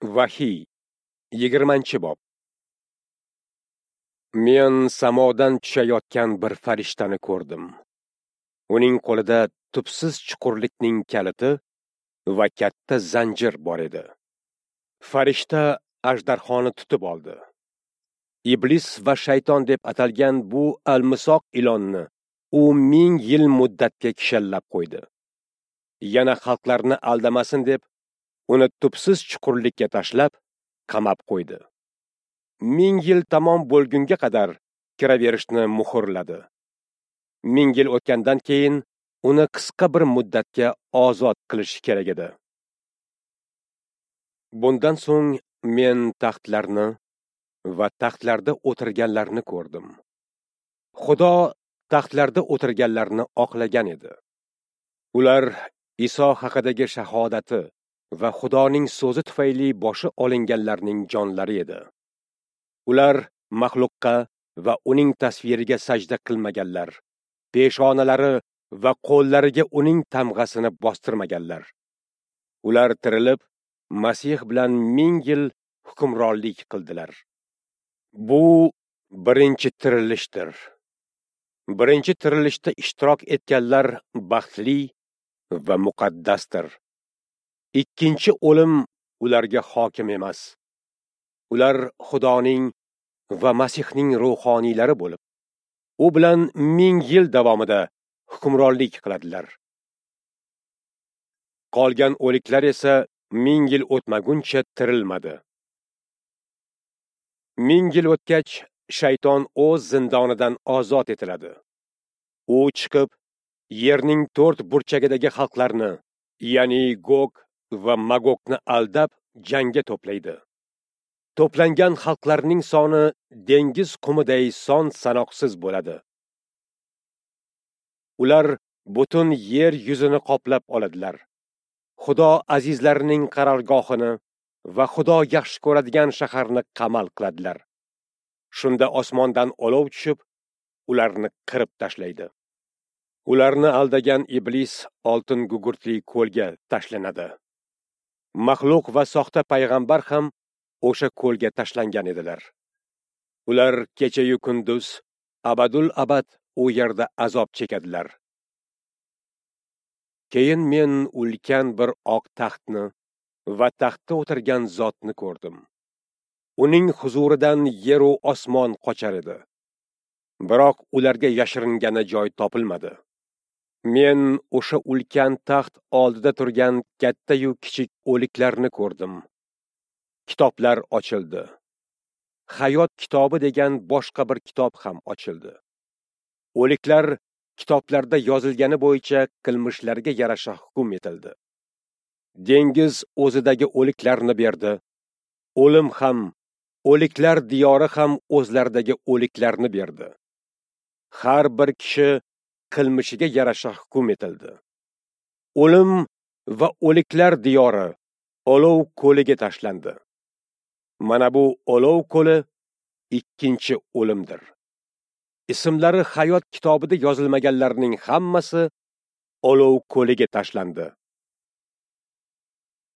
Vahiy, 20-bob. Men samodan tushayotgan bir farishtani ko'rdim. Uning qo'lida tubsiz chuqurlikning kaliti va katta zanjir bor edi. Farishta ajdarhoni tutib oldi. Iblis va shayton deb atalgan bu almisoq ilonni u 1000 yil muddatga kishallab qo'ydi. Yana xalqlarni aldamasin deb uni tubsiz chuqurlikka tashlab, qamab qo'ydi. 1000 yil tamom bo'lgunga qadar kiraverishni muhrladi. 1000 yil o'tgandan keyin uni qisqa bir muddatga ozod qilish kerak edi. Bundan so'ng men taxtlarni va taxtlarda o'tirganlarni ko'rdim. Xudo taxtlarda o'tirganlarni oqlagan edi. Ular Iso haqidagi shahodati va Xudoning so'zi tufayli boshi olinganlarning jonlari edi. Ular maxluqqa va uning tasviriga sajda qilmaganlar, peshonalari va qo'llariga uning tamg'asini bostirmaganlar. Ular tirilib, Masih bilan 1000 yil hukmronlik qildilar. Bu birinchi tirilishdir. Birinchi tirilishda ishtirok etganlar baxtli va muqaddasdir. Ikkinchi o'lim ularga hokim emas. Ular Xudoning va Masihning ruhoniylari bo'lib, u bilan 1000 yil davomida hukmronlik qiladilar. Qolgan o'liklar esa 1000 yil o'tmaguncha tirilmadi. 1000 yil o'tgach, shayton o'z zindonidan ozod etiladi. U chiqib, yerning 4 burchagidagi xalqlarni, ya'ni Gog va Magogni aldab jangga to'playdi. To'plangan xalqlarning soni dengiz qumiday son sanoqsiz bo'ladi. Ular butun yer yuzini qoplab oladilar. Xudo azizlarining qarorgohini va Xudo yaxshi ko'radigan shaharni qamal qiladilar. Shunda osmondan olov tushib, ularni qirib tashlaydi. Ularni aldagan iblis oltin gugurtli ko'lga tashlanadi. Maxluq va soxta payg'ambar ham o'sha ko'lga tashlangan edilar. Ular kecha-yu kunduz abadul abad u yerda azob chekadilar. Keyin men ulkan bir oq taxtni va taxtda o'tirgan zotni ko'rdim. Uning huzuridan yer u osmon qochar edi. Biroq ularga yashiringani joy topilmadi. Men o'sha ulkan taxt oldida turgan katta-yu kichik o'liklarni ko'rdim. Kitoblar ochildi. Hayot kitobi degan boshqa bir kitob ham ochildi. O'liklar kitoblarda yozilgani bo'yicha qilmishlariga yarasha hukm etildi. Dengiz o'zidagi o'liklarni berdi. O'lim ham, o'liklar diyori ham o'zlaridagi o'liklarni berdi. Har bir kishi qilmishiga yarasha hukm etildi. O'lim va o'liklar diyori olov ko'liga tashlandi. Mana bu olov ko'li ikkinchi o'limdir. Ismlari hayot kitobida yozilmaganlarning hammasi olov ko'liga tashlandi.